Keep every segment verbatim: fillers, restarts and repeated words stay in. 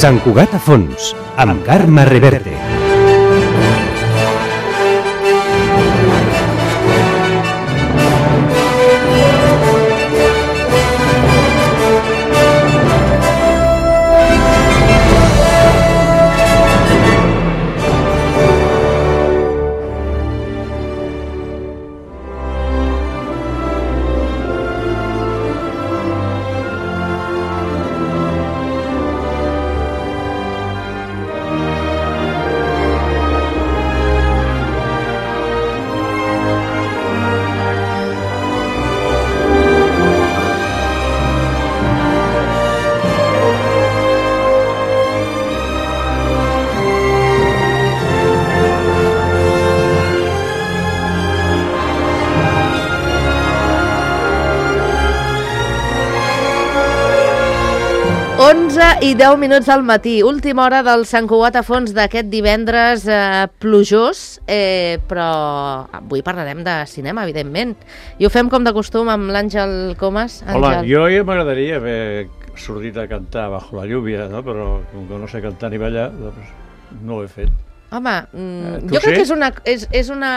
Sant Cugat a fons, amb Carme Reverte. onze i deu minuts al matí, última hora del Sant Cugat a fons d'aquest divendres eh, plujós, eh, però avui parlarem de cinema, evidentment. I ho fem com de costum amb l'Àngel Comas. Àngel. Hola, jo ja m'agradaria haver sortit a cantar Bajo la lluvia, no? Però com que no sé cantar ni ballar, doncs no ho he fet. Home, mm, eh, jo crec sí? que és una, és, és una,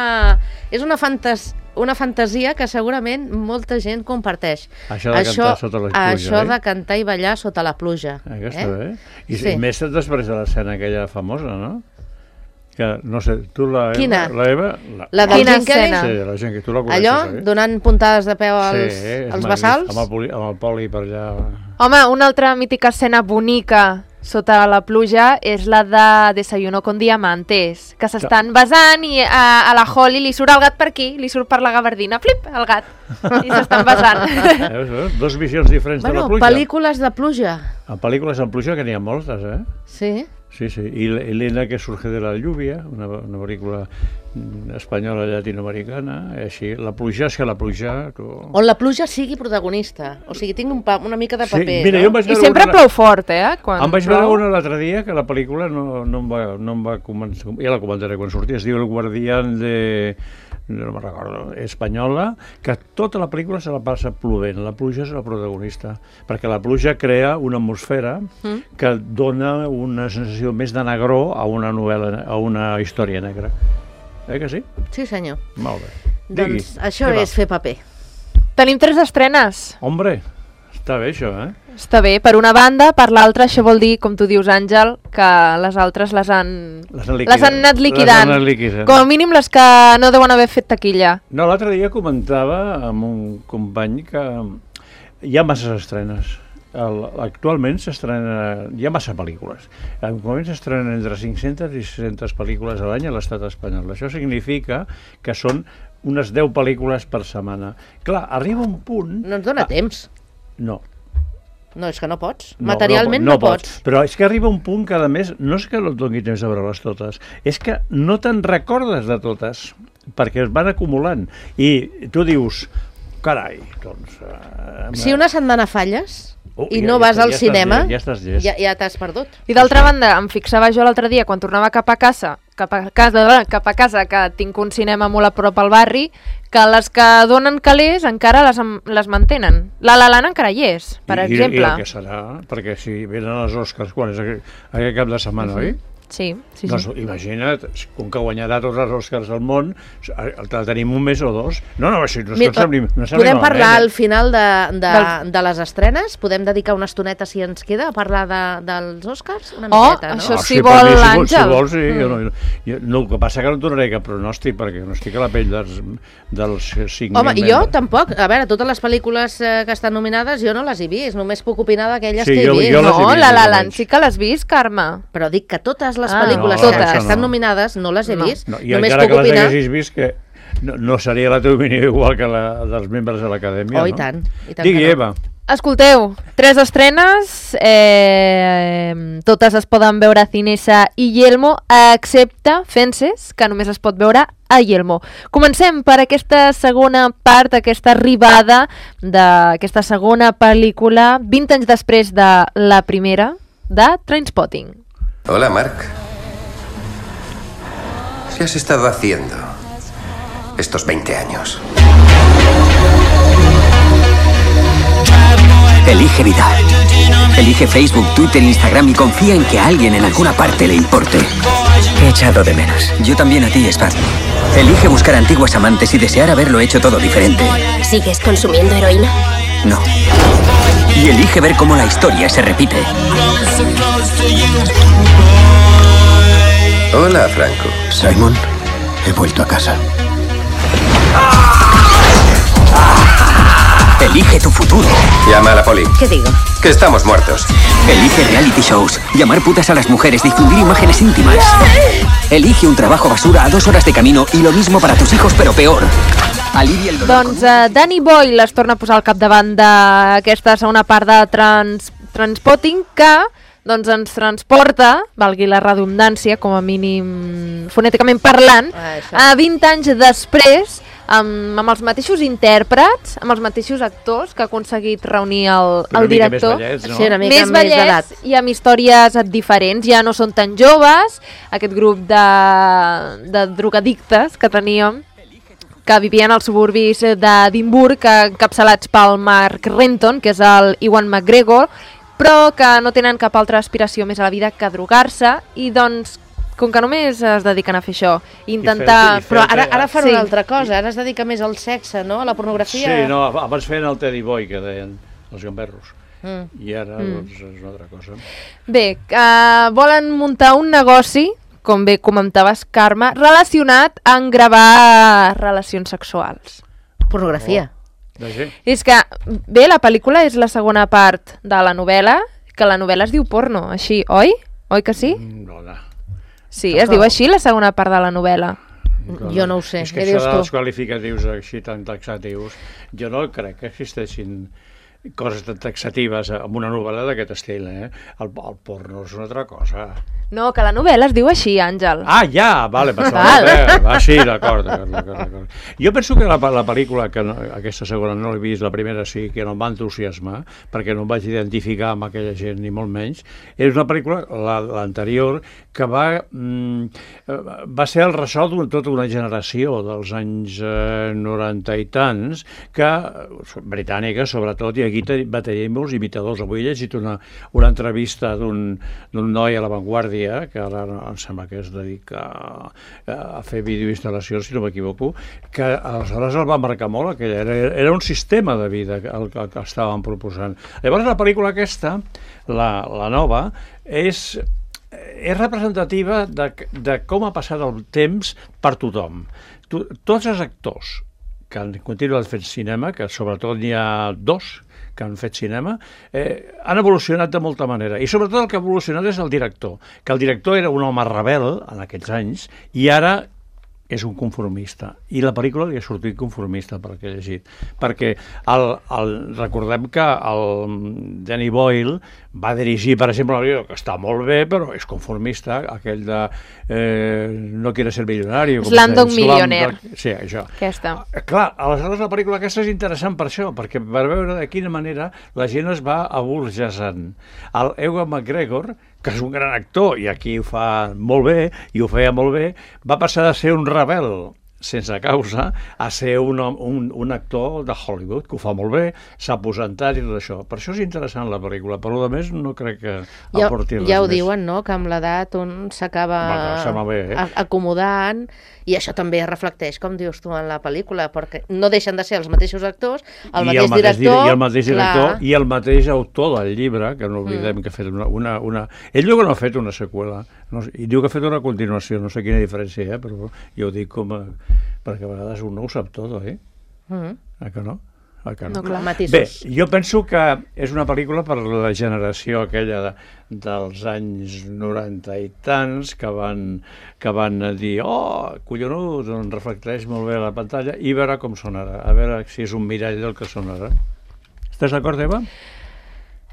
és una fantasia una fantasia que segurament molta gent comparteix. Això de això, cantar sota la pluja, Això eh? de cantar i ballar sota la pluja. Eh, està eh? bé. I, Sí. I més després de l'escena aquella famosa, no? Que, no sé, tu la Eva... Quina? La Eva... La, La del Quina Jim Kelly? escena? Sí, la gent que tu la coneixes, Allò, eh? donant puntades de peu als, sí, és als magnífic, bassals? Amb el, poli, amb el poli per allà... Home, una altra mítica escena bonica sota la pluja és la de Desayuno con Diamantes, que s'estan besant i a, a la Holly li surt el gat per aquí, li surt per la gavardina, flip, el gat, i s'estan besant. Veus, veus? Dos visions diferents Bueno, de la pluja. pel·lícules de pluja. En pel·lícules en pluja, que n'hi ha moltes, eh? Sí. Sí, sí. I Elena que surge de la lluvia, una, una pel·lícula espanyola llatinoamericana, així. La pluja, és que la pluja... Tu... On la pluja sigui protagonista. O sigui, tinc un pa, una mica de paper, sí, mira, no? jo em vaig I veure sempre una... plou fort, eh? Quan em vaig plou. veure una l'altre dia que la pel·lícula no, no, em va, no em va començar... Ja la comentaré quan surti. Es diu El guardián de... no me'n recordo, espanyola, que tota la pel·lícula se la passa plovent. La pluja és la protagonista, perquè la pluja crea una atmosfera mm. que dona una sensació més de negror a una novel·la, a una història negra. Eh que sí? Sí, senyor. Molt bé. Digui, Doncs això què és va? fer paper. Tenim tres estrenes. Hombre, està bé això, eh? Està bé, per una banda, per l'altra, això vol dir, com tu dius, Àngel, que les altres les han, Les han liquidat. les han anat liquidant. Les han anat liquidant. Com a mínim les que no deuen haver fet taquilla. No, l'altre dia comentava amb un company que hi ha masses estrenes. El, actualment s'estrena, hi ha massa pel·lícules. Actualment s'estrenen entre cinc-centes i sis-centes pel·lícules a l'any a l'estat espanyol. Això significa que són unes deu pel·lícules per setmana. Clar, arriba un punt... No ens dona ah, temps. No. No, és que no pots. No, Materialment no, no, no pots. Però és que arriba un punt que, a més, no és que no et doni temps de veure-les totes, és que no te'n recordes de totes, perquè es van acumulant. I tu dius, carai, doncs... Eh, Si una setmana falles Oh, i ja, no ja, vas ja al estàs cinema, llest, ja estàs llest. ja, ja t'has perdut. I d'altra banda, em fixava jo l'altre dia, quan tornava cap a casa, cap a casa, cap a casa, que tinc un cinema molt a prop al barri, que les que donen calés encara les, les mantenen. La La Land encara hi és, per I, exemple. I, I el que serà, perquè si venen els Oscars, quan és aquest, aquest cap de setmana, uh-huh. oi? Sí, sí, Doncs sí. imagina't, com que guanyarà tots els Oscars del món, el tenim un mes o dos. No, no, això no és Mira, que sembli, no sembli podem malament, parlar eh? al final de, de, Del- de les estrenes? Podem dedicar una estoneta, si ens queda, a parlar de, dels Oscars? Una Oh, miqueta, no? això Ah, sí per vol mi, si l'Àngel. vols, si vols, sí. Mm. Jo no, jo, no, el que passa que no donaré cap pronòstic, perquè no estic a la pell dels, dels cinc mil Home, i jo membres. tampoc. A veure, totes les pel·lícules eh, que estan nominades jo no les he vist, només puc opinar d'aquelles Sí, que he jo- vist. jo les he No, vist, la La més o Land menys. sí que l'has vist, Carme. Però dic que totes les Ah, pel·lícules no, que totes. estan no. nominades no les he No. vist. No, I només encara puc que les opinar... haguessis vist, que no, no seria la teva opinió igual que la dels membres de l'acadèmia, Oh, i no? tant, i tant Digui, que no. Eva. Escolteu, tres estrenes, eh, totes es poden veure a Cinesa i Yelmo, excepte Fences, que només es pot veure a Yelmo. Comencem per aquesta segona part, aquesta arribada d'aquesta segona pel·lícula, vint anys després de la primera, de Trainspotting. Hola, Mark. ¿Qué has estado haciendo estos veinte años? Elige vida. Elige Facebook, Twitter, Instagram y confía en que a alguien en alguna parte le importe. He echado de menos. Yo también a ti, Spad. Elige buscar antiguas amantes y desear haberlo hecho todo diferente. ¿Sigues consumiendo heroína? No. Y elige ver cómo la historia se repite. Hola, Franco. Simon, he vuelto a casa. Elige tu futuro. Llama a la poli. ¿Qué digo? Que estamos muertos. Elige reality shows, llamar putas a las mujeres, difundir imágenes íntimas. Elige un trabajo basura a dos horas de camino y lo mismo para tus hijos, però peor. Alivia el dolor. Doncs uh, Danny Boyle es torna a posar al capdavant d'aquesta segona part de trans, Transpotting, que doncs ens transporta, valgui la redundància, com a mínim fonèticament parlant, ah, a vint anys després, amb, amb els mateixos intèrprets, amb els mateixos actors que ha aconseguit reunir el, el director. Més vellets, no? Sí, una mica més més d'edat. vellets i amb històries diferents, ja no són tan joves, aquest grup de, de drogadictes que teníem, que vivien als suburbis d'Edimburg, encapçalats pel Mark Renton, que és el Ewan McGregor, però que no tenen cap altra aspiració més a la vida que drogar-se, i doncs, com que només es dediquen a fer això, intentar... I fer- i fer- Però ara, ara fan Sí. una altra cosa, ara es dedica més al sexe, no? A la pornografia. Sí, no, abans feien el Teddy Boy, que deien els gamberros. Mm. I ara, Mm. doncs, és una altra cosa. Bé, uh, volen muntar un negoci, com bé comentaves, Carme, relacionat amb gravar relacions sexuals. Pornografia. De sí. És que, bé, la pel·lícula és la segona part de la novel·la, que la novel·la es diu porno, així, oi? Oi que sí? No, no. Sí, es diu així la segona part de la novel·la. Jo no ho sé, És que què això dius dels tu? qualificatius així tan taxatius, jo no crec que existeixin coses tan taxatives en una novel·la d'aquest estil, eh? El, el porno és una altra cosa. No, que la novel·la es diu així, Àngel. Ah, ja, vale, per Val. favor. Ah, sí, d'acord, d'acord, d'acord, d'acord. Jo penso que la, la pel·lícula, que no, aquesta segona no l'he vist, la primera sí, que no em va entusiasmar, perquè no em vaig identificar amb aquella gent, ni molt menys, és una pel·lícula, la- l'anterior, que va, mm, va ser el ressò de tota una generació dels anys eh, noranta i tants, que, britànica sobretot, i aquí te- va tenir molts imitadors. Avui he llegit una, una entrevista d'un d'un noi a La Vanguardia, que ara em sembla que es dedica a, a fer videoinstal·lacions, si no m'equivoco, que aleshores el va marcar molt, aquella, era, era un sistema de vida el que, que estaven proposant. Llavors la pel·lícula aquesta, la, la nova, és, és representativa de, de com ha passat el temps per tothom. Tu, tots els actors que han continuat fent cinema, que sobretot n'hi ha dos que han fet cinema, eh, han evolucionat de molta manera. I sobretot el que ha evolucionat és el director, que el director era un home rebel en aquells anys i ara és un conformista. I la pel·lícula li ha sortit conformista, pel que he llegit. Perquè el, el, recordem que el Danny Boyle va dirigir, per exemple, un que està molt bé, però és conformista, aquell de eh, No quiere ser millonario. com Slumdog es deia, Millionaire. Slumdog- Sí, això. Aquesta. Ah, clar, aleshores la pel·lícula aquesta és interessant per això, perquè per veure de quina manera la gent es va aburgesant. El Ewan McGregor, que és un gran actor i aquí ho fa molt bé, i ho feia molt bé, va passar de ser un rebel sense causa a ser un, un, un actor de Hollywood, que ho fa molt bé, s'ha aposentat i tot això. Per això és interessant la pel·lícula, però a més no crec que Ja, aporti res ja ho més. diuen, no?, que amb l'edat un s'acaba Va, clar, sembla bé, eh? a- acomodant, i això també es reflecteix, com dius tu, en la pel·lícula, perquè no deixen de ser els mateixos actors, el I mateix el mateix, director... I el mateix director clar. i el mateix autor del llibre, que no oblidem mm. que ha fet una, una, una... Ell diu que no ha fet una seqüela, no, i diu que ha fet una continuació, no sé quina diferència hi ha, però jo ho dic com a... perquè a vegades un no ho sap tot, eh? Mm. Ah, que no? Ah, que no? No, clar. Matisos. Bé, jo penso que és una pel·lícula per la generació aquella de, dels anys noranta i tants que van, que van dir oh, collonut, doncs reflecteix molt bé a la pantalla i veure com són ara, a veure si és un mirall del que són ara. Estàs d'acord, Eva?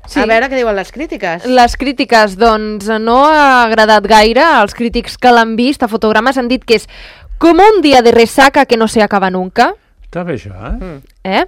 Sí. A veure què diuen les crítiques. Les crítiques, doncs, no ha agradat gaire. Els crítics que l'han vist a fotogrames han dit que és com un dia de resaca que no se acaba nunca. Està bé això, eh? Mm. Eh?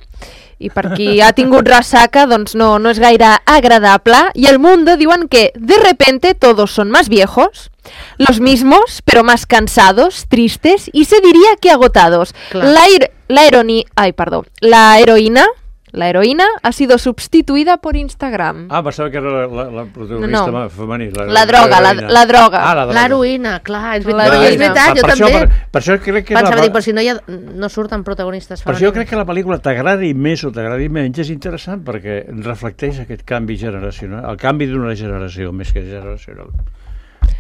I per qui ha tingut ressaca, doncs no, no és gaire agradable. I el Mundo diuen que de repente todos son más viejos, los mismos, pero más cansados, tristes y se diría que agotados. Clar. La, ir- la, ironi- ai, perdó. La heroïna La heroína ha sido sustituida por Instagram. Ah, pensava que era la, la, la protagonista No. femení. La, La droga, la, heroïna. la droga. Ah, la droga. L'heroïna, clar, és La veritat, heroïna. és veritat, jo per també. Això, per, per això crec que Pensava la, dir, però si no, hi ha, no surten protagonistes per això jo femenines. crec que la pel·lícula t'agradi més o t'agradi menys és interessant perquè reflecteix aquest canvi generacional, el canvi d'una generació més que generacional.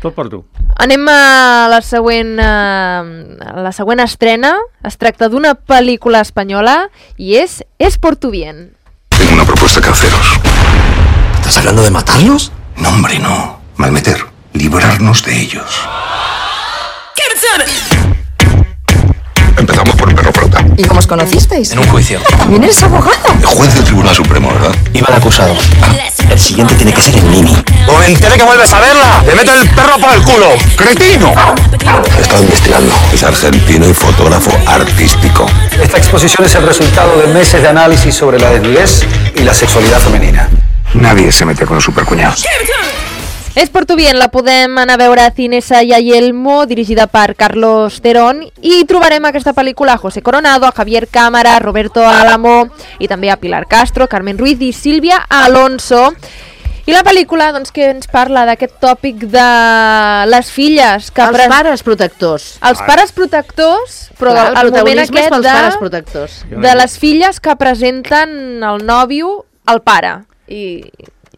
Tot per tu. Anem a la següent, eh, a la següent estrena. Es tracta d'una pel·lícula espanyola i és Es por tu bien. Tengo una propuesta que haceros. ¿Estás hablando de matarlos? No, hombre, no. Malmeter. Librarnos de ellos. Empezamos por el perro prota. ¿Y cómo os conocisteis? En un juicio. ¿También eres abogado? El juez del Tribunal Supremo, ¿verdad? Iba de acusado. El siguiente tiene que ser el Nini. ¡O me enteré que vuelves a verla! ¡Te meto el perro por el culo! ¡Cretino! He estado investigando. Es argentino y fotógrafo artístico. Esta exposición es el resultado de meses de análisis sobre la desnudez y la sexualidad femenina. Nadie se mete con los supercuñados. Es por tu bien, la podem anar a veure a Cinesa i a Yelmo, dirigida per Carlos Terón, i trobarem aquesta pel·lícula a José Coronado, a Javier Cámara, a Roberto Álamo, i també a Pilar Castro, Carmen Ruiz i Sílvia Alonso. I la pel·lícula doncs, que ens parla d'aquest tòpic de les filles que... Els pres- pares protectors. Els pares protectors, però Clar, el, el moment protagonisme és aquest pels pares de, protectors. de les filles que presenten el nòvio al pare i,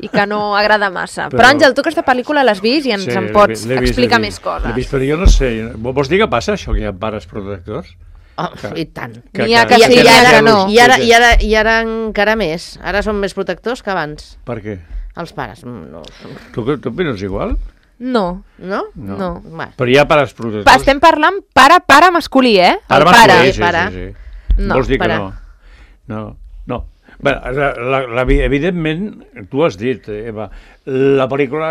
i que no agrada massa. Però, Però- Àngel, tu aquesta pel·lícula l'has vist i ens Sí, en l'he pots vist, l'he vist, explicar l'he més vist. L'he coses. vist, però jo no sé. Vols dir que passa això, que hi ha pares protectors? Oh, I tant. Que- N'hi ha que- que I, sí, i, n'hi ha ara, que no. i, ara, i, ara, I ara encara més. Ara són més protectors que abans. Per què? Els pares. mm, No, Tu, tu opines igual? No. no? No. No. Va. Però hi ha pares protectors. Pa, estem parlant pare-pare masculí, eh? Pare El pare. masculí, sí, pare. sí, sí. No, Vols dir pare. que no? No, no. Bé, la, la, la, evidentment, tu has dit, Eva, la pel·lícula,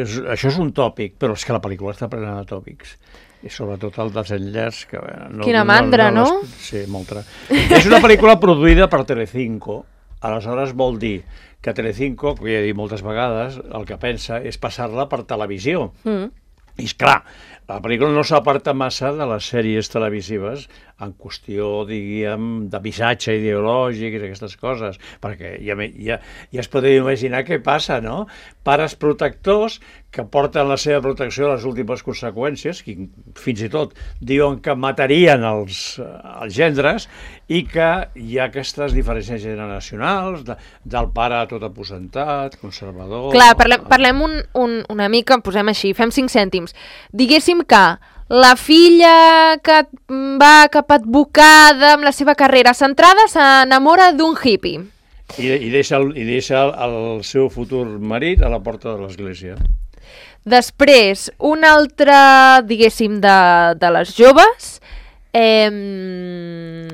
és, això és un tòpic, però és que la pel·lícula està plena de tòpics. I sobretot el desenllaç. Que, no, Quina mandra, no? les- Sí, molta. És una pel·lícula produïda per Telecinco, aleshores vol dir que Telecinco, que ja he dit moltes vegades, el que pensa és passar-la per televisió. Mm. I és clar, la pel·lícula no s'aparta massa de les sèries televisives en qüestió, diguem, de missatge ideològic i aquestes coses, perquè ja, ja, ja es podria imaginar què passa, no? Pares protectors que porten la seva protecció a les últimes conseqüències, que fins i tot diuen que matarien els, els gendres, i que hi ha aquestes diferències generacionals, de, del pare tot aposentat, conservador... Clar, parlem, parlem un, un, una mica, posem així, fem cinc cèntims. Diguéssim que la filla que va cap advocada amb la seva carrera centrada s'enamora d'un hippie. I, i deixa, el, i deixa el, el seu futur marit a la porta de l'església. Després, un altre, diguéssim, de, de les joves eh,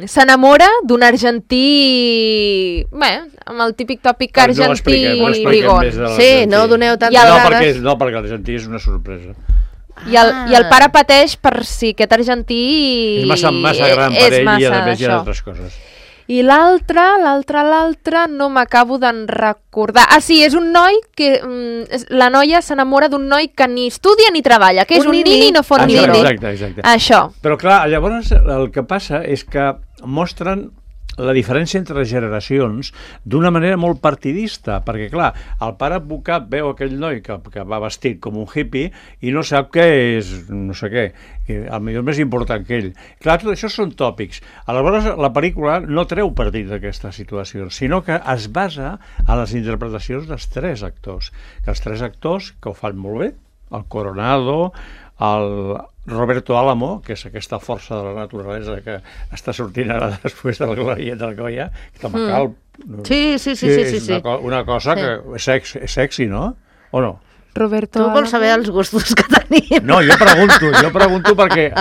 s'enamora d'un argentí, bé, amb el típic tòpic No argentí expliquem, no expliquem brigón. més de Sí, l'argentí. no doneu tantes I el- No, dades. perquè, no, perquè l'argentí és una sorpresa. I el, I el pare pateix per si aquest argentí És massa, massa gran per és ell i a massa més hi ha això. altres coses. I l'altre, l'altre, l'altre, no m'acabo d'en recordar. Ah, sí, és un noi que... Mm, és- la noia s'enamora d'un noi que ni estudia ni treballa, que és Un un, nini. nini i no fot Ah, ni sí, bro. exacte, exacte. Això. Però clar, llavors el que passa és que mostren la diferència entre generacions d'una manera molt partidista, perquè clar, el pare advocat veu aquell noi que, que va vestit com un hippie i no sap què és, no sé què, que el millor més important que ell. Clar, tot això són tòpics. Aleshores, la pel·lícula no treu partit d'aquesta situació, sinó que es basa en les interpretacions dels tres actors, que els tres actors que ho fan molt bé, el Coronado, el Roberto Álamo, que és aquesta força de la naturalesa que està sortint ara després del Glòria del Goya, que també Mm. cal... no? Sí, sí, sí, sí, sí, és sí. una, co una cosa Sí. que és sexy, és sexy, no? O no? Roberto Tu vols saber els gustos que tenim. No, jo pregunto, jo pregunto perquè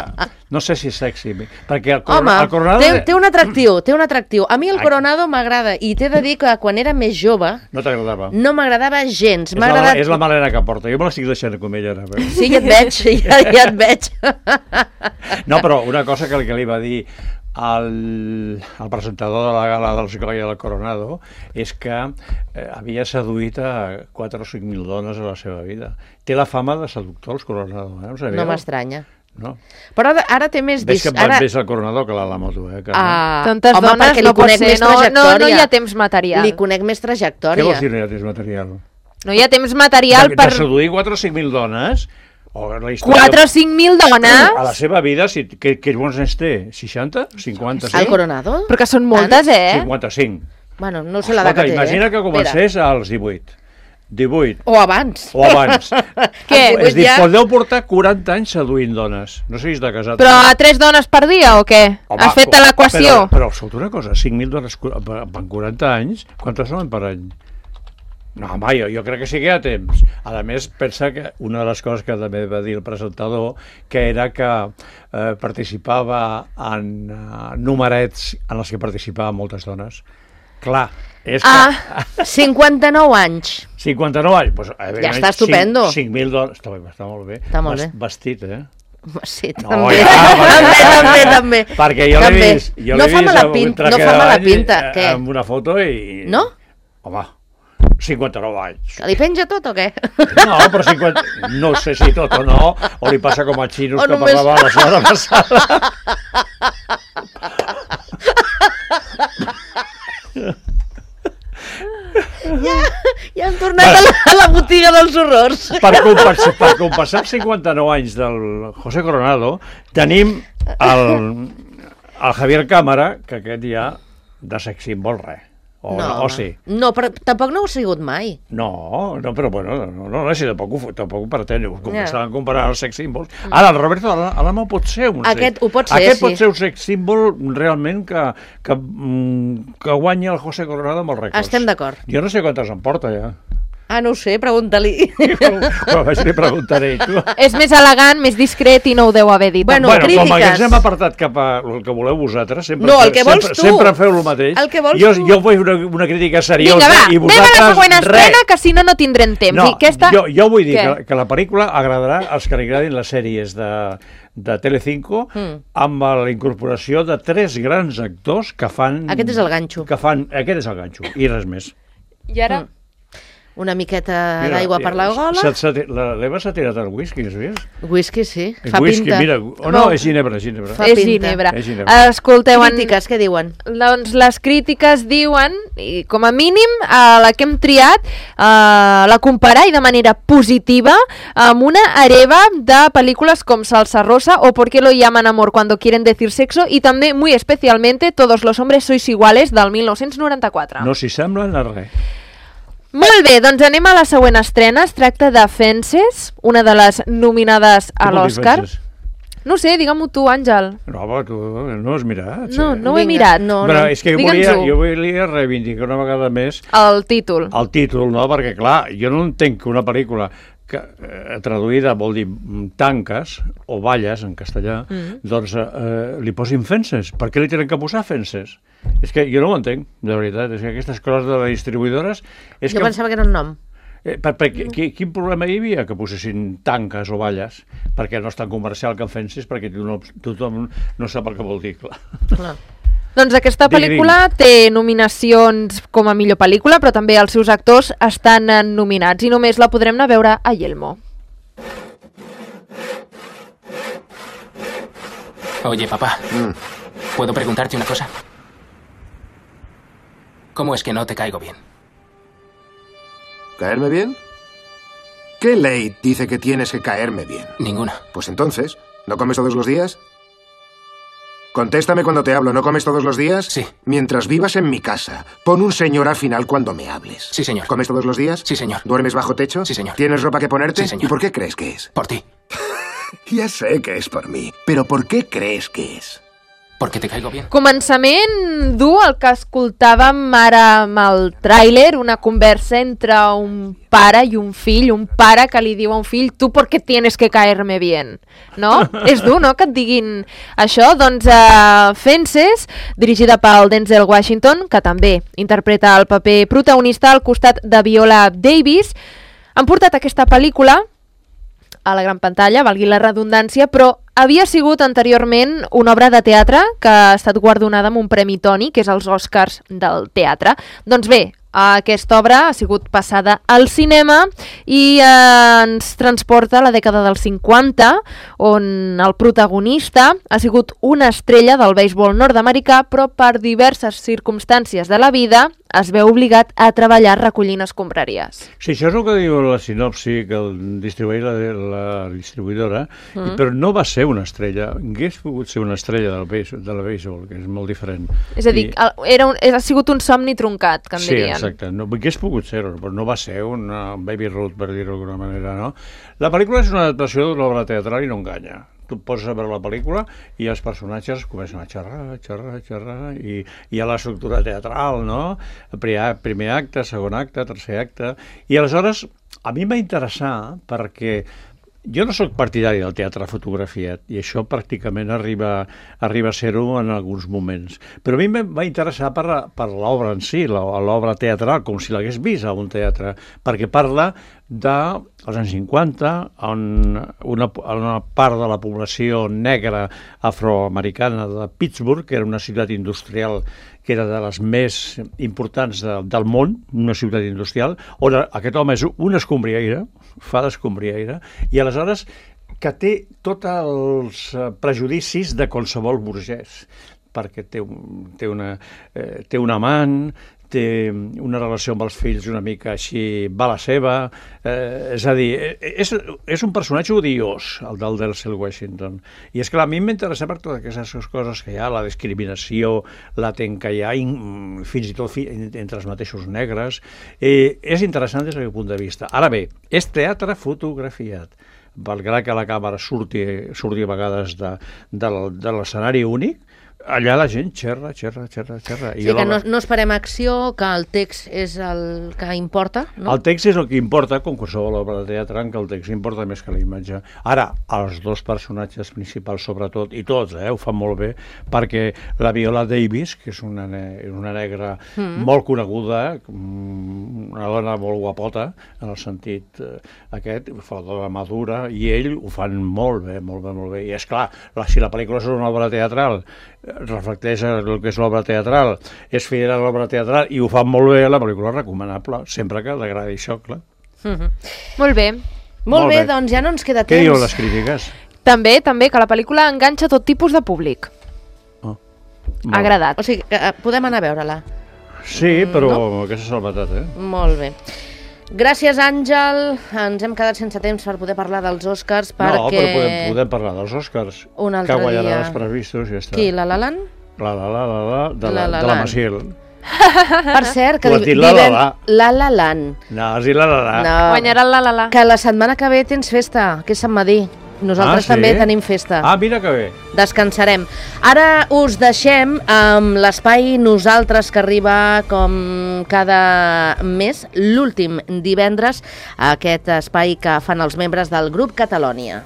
no sé si és sexy, perquè el, Home, el Coronado... té, té un atractiu, té un atractiu. A mi el Ai. Coronado m'agrada i t'he de dir que quan era més jove No t'agradava. no m'agradava gens. És, M'ha la, agradat... és la malena que porta. Jo me l'estic deixant com ella ara. Però... Sí, ja et veig, ja, ja et veig. No, però una cosa que, que li va dir el, el presentador de la gala dels Goya del Coronado és que eh, havia seduït a quatre o cinc mil dones a la seva vida. Té la fama de seductor, els Coronado. Eh? No m'estranya. no? Però ara, ara té més... Ves que Dis... Ara... ves el coronador que l'ha la moto, eh, Carme? Ah, Tantes home, dones perquè li no pot conec ser, més no, no, trajectòria. no hi ha temps material. Li conec més Què trajectòria. vols dir no hi ha temps material? No hi ha temps material de, per... De seduir quatre o cinc mil dones... O la història... quatre o cinc mil dones? A la seva vida, si, que, que bons anys té? seixanta? cinquanta? El Coronado? Però que són moltes, eh? cinquanta-cinc. Bueno, no sé l'edat Escolta, que té. imagina eh? que comencés als divuit. divuit. O abans. O abans. Què? És dir, ja... podeu portar quaranta anys seduint dones. No siguis de casat. Però a tres dones per dia o què? Home, Has fet l'equació? Però, però escolta una cosa, cinc mil dones en quaranta anys, quantes són per any? No, home, jo, jo crec que sí que hi ha temps. A més, pensa que una de les coses que també va dir el presentador, que era que eh, participava en uh, numerets en els que participaven moltes dones. Clar, és que... Ah, cinquanta-nou anys. cinquanta-nou anys. Pues, ja està estupendo. cinc mil dones... Està, està molt bé. Està molt bé. Vestit, eh? Sí, No, també. ja, també, també, també. Perquè jo l'he També. vist, jo No l'he fa vist mala amb un pinta, traje no fa de mala bany, pinta, eh, què? amb una foto i... No? Home, cinquanta-nou anys. Que li penja tot o què? No, però cinquanta... No sé si tot o no, o li passa com a xinos O que només- parlava la setmana passada. Ja hem tornat a la, a la botiga dels horrors. Per compensar, per compensar els cinquanta-nou anys del José Coronado, tenim el, el Javier Cámara, que aquest ja de sex symbol res. O, no, o sí. No, però tampoc no ho ha sigut mai. No, no, però bueno, no, no, no si tampoc ho, tampoc ho pretén, com Ja. estaven comparant els sex symbols. Ara, el Roberto Alamo pot ser un Aquest sex... ho pot ser, Aquest sí. pot ser un sex symbol realment que, que, mm, que guanya el José Coronado amb els rècords. Estem d'acord. Jo no sé quantes en porta, ja. Ah, no ho sé, pregunta-li. Però vaig li preguntaré. Tu. És més elegant, més discret i no ho deu haver dit. Bueno, Bueno, crítiques. com que ens hem apartat cap a el que voleu vosaltres, sempre, No, el que vols sempre, tu. sempre feu el mateix. El que vols jo, tu. jo vull una, una crítica seriosa Vinga, va, i anem vosaltres... a la següent estrena, res. que si no, no tindrem temps. No, I aquesta... jo, jo vull dir Què? que, que la pel·lícula agradarà als que li agradin les sèries de, de Telecinco Mm. amb la incorporació de tres grans actors que fan... Aquest és el ganxo. Que fan, aquest és el ganxo, i res més. I ara... Mm. Una miqueta d'aigua per la gola. Se, se, la, L'Eva s'ha tirat el whisky, has vist? Whisky, sí. El Fa whisky, pinta. mira, o no, és ginebra, ginebra. Fa és pinta. ginebra. És ginebra. Escolteu, en... Crítiques, què diuen? Doncs les crítiques diuen, i com a mínim, eh, la que hem triat, eh, la comparar i de manera positiva amb una hereva de pel·lícules com Salsa Rosa o ¿Por qué lo llaman amor cuando quieren decir sexo? I també, muy especialmente, Todos los hombres sois iguales, del mil nou-cents noranta-quatre. No s'hi semblen a res. Molt bé, doncs anem a la següent estrena. Es tracta de Fences, una de les nominades a Què vol dir l'Oscar. Fences? No sé, digue-m'ho tu, Àngel. No, però tu no has mirat. No, sí. no ho he Vinga, mirat. no, Però és que jo volia, Digue'ns-ho. jo volia reivindicar una vegada més El títol. el títol, no? Perquè, clar, jo no entenc que una pel·lícula que, eh, traduïda vol dir mm, tanques o valles en castellà, Mm. doncs eh, li posin fences. Per què li tenen que posar fences? És que jo no ho entenc, de veritat. És que aquestes coses de les distribuïdores... És Jo que, pensava que era un nom. eh, per, per, qui, quin problema hi havia que posessin tanques o valles? Perquè no és tan comercial que fences, perquè tothom, tothom no sap el que vol dir, clar. Clar. Doncs aquesta Digui, pel·lícula té nominacions com a millor pel·lícula, però també els seus actors estan eh, nominats i només la podrem anar a veure a Yelmo. Oye, papá, ¿puedo preguntarte una cosa? ¿Cómo es que no te caigo bien? ¿Caerme bien? ¿Qué ley dice que tienes que caerme bien? Ninguna. Pues entonces, ¿no comes todos los días? Contéstame cuando te hablo, ¿no comes todos los días? Sí. Mientras vivas en mi casa, pon un señor al final cuando me hables. Sí, señor. ¿Comes todos los días? Sí, señor. ¿Duermes bajo techo? Sí, señor. ¿Tienes ropa que ponerte? Sí, señor. ¿Y por qué crees que es? Por ti. Ya sé que es por mí, pero ¿por qué crees que es? Porque te caigo bien. Començament dur el que escoltàvem ara amb el tràiler, una conversa entre un pare i un fill, un pare que li diu a un fill, tu per què tienes que caerme bien, no? És dur, no?, que et diguin això. Doncs uh, Fences, dirigida pel Denzel Washington, que també interpreta el paper protagonista al costat de Viola Davis, han portat aquesta pel·lícula a la gran pantalla, valgui la redundància, però havia sigut anteriorment una obra de teatre que ha estat guardonada amb un Premi Tony, que és els Oscars del teatre. Doncs bé, Aquesta obra ha sigut passada al cinema i eh, ens transporta a la dècada dels cinquanta, on el protagonista ha sigut una estrella del beisbol nord-americà, però per diverses circumstàncies de la vida es veu obligat a treballar recollint escombraries. Sí, això és el que diu la sinopsi que el distribueix la, la distribuïdora, mm. però no va ser una estrella. Hauria pogut ser una estrella del beisbol, de la beisbol, que és molt diferent. És a dir, I... era un, ha sigut un somni truncat, que en sí, dirien. Sí, exacte. No, hauria pogut ser, però no va ser una Baby Ruth, per dir-ho d'alguna manera, no? La pel·lícula és una adaptació d'una obra teatral i no enganya. Tu et poses a veure la pel·lícula i els personatges comencen a xerrar, xerrar, xerrar, i hi ha l'estructura teatral, no? Primer, primer acte, segon acte, tercer acte... I aleshores, a mi em va interessar perquè jo no sóc partidari del teatre fotografiat i això pràcticament arriba, arriba a ser-ho en alguns moments. Però a mi em va interessar per, per l'obra en si, l'obra teatral, com si l'hagués vist a un teatre, perquè parla dels anys cinquanta, on una, una part de la població negra afroamericana de Pittsburgh, que era una ciutat industrial que era de les més importants de, del món, una ciutat industrial, on aquest home és un escombriaire, fa d'escombriaire, i aleshores que té tots els prejudicis de qualsevol burgès, perquè té, un, té, una, eh, té un amant, té una relació amb els fills una mica així, va la seva, eh, és a dir, és, és un personatge odiós, el del Denzel Washington. I és clar, a mi m'interessa per totes aquestes coses que hi ha, la discriminació latent que hi ha, in, fins i tot fi, entre els mateixos negres. Eh, és interessant des d'aquest punt de vista. Ara bé, és teatre fotografiat. Malgrat que la càmera surti, surti a vegades de, de, de l'escenari únic, allà la gent xerra, xerra, xerra, xerra. Sí, que no, no esperem acció, que el text és el que importa, no? El text és el que importa, com qualsevol obra de teatre, en què el text importa més que la imatge. Ara, els dos personatges principals, sobretot, i tots, eh, ho fan molt bé, perquè la Viola Davis, que és una, ne una negra mm. molt coneguda, una dona molt guapota, en el sentit eh, aquest, fa la dona madura, i ell ho fan molt bé, molt bé, molt bé. I és clar, la, si la pel·lícula és una obra teatral, reflecteix el que és l'obra teatral, és fidel a l'obra teatral i ho fan molt bé, la pel·lícula és recomanable, sempre que t'agradi això, clar. Mm-hmm. Molt bé. Molt, molt bé, bé, doncs ja no ens queda temps. Què diuen les crítiques? També, també, que la pel·lícula enganxa tot tipus de públic. Oh, ha agradat. O sigui, que podem anar a veure-la. Sí, però no? aquesta salvetat, eh? Molt bé. Gràcies, Àngel. Ens hem quedat sense temps per poder parlar dels Oscars perquè... No, però podem, podem parlar dels Oscars. Un altre que guanyarà dia. Els previstos i ja està. Qui, la La Land? La La La La La, de la, la, de la Maciel. Per cert, que diven la, la, la. la La Land. No, has dit la La La. No. Guanyarà la La La. Que la setmana que ve tens festa, que és Sant Madí. Nosaltres ah, sí? també tenim festa. Ah, mira que bé. Descansarem. Ara us deixem amb l'espai Nosaltres, que arriba com cada mes, l'últim divendres, a aquest espai que fan els membres del grup Catalònia.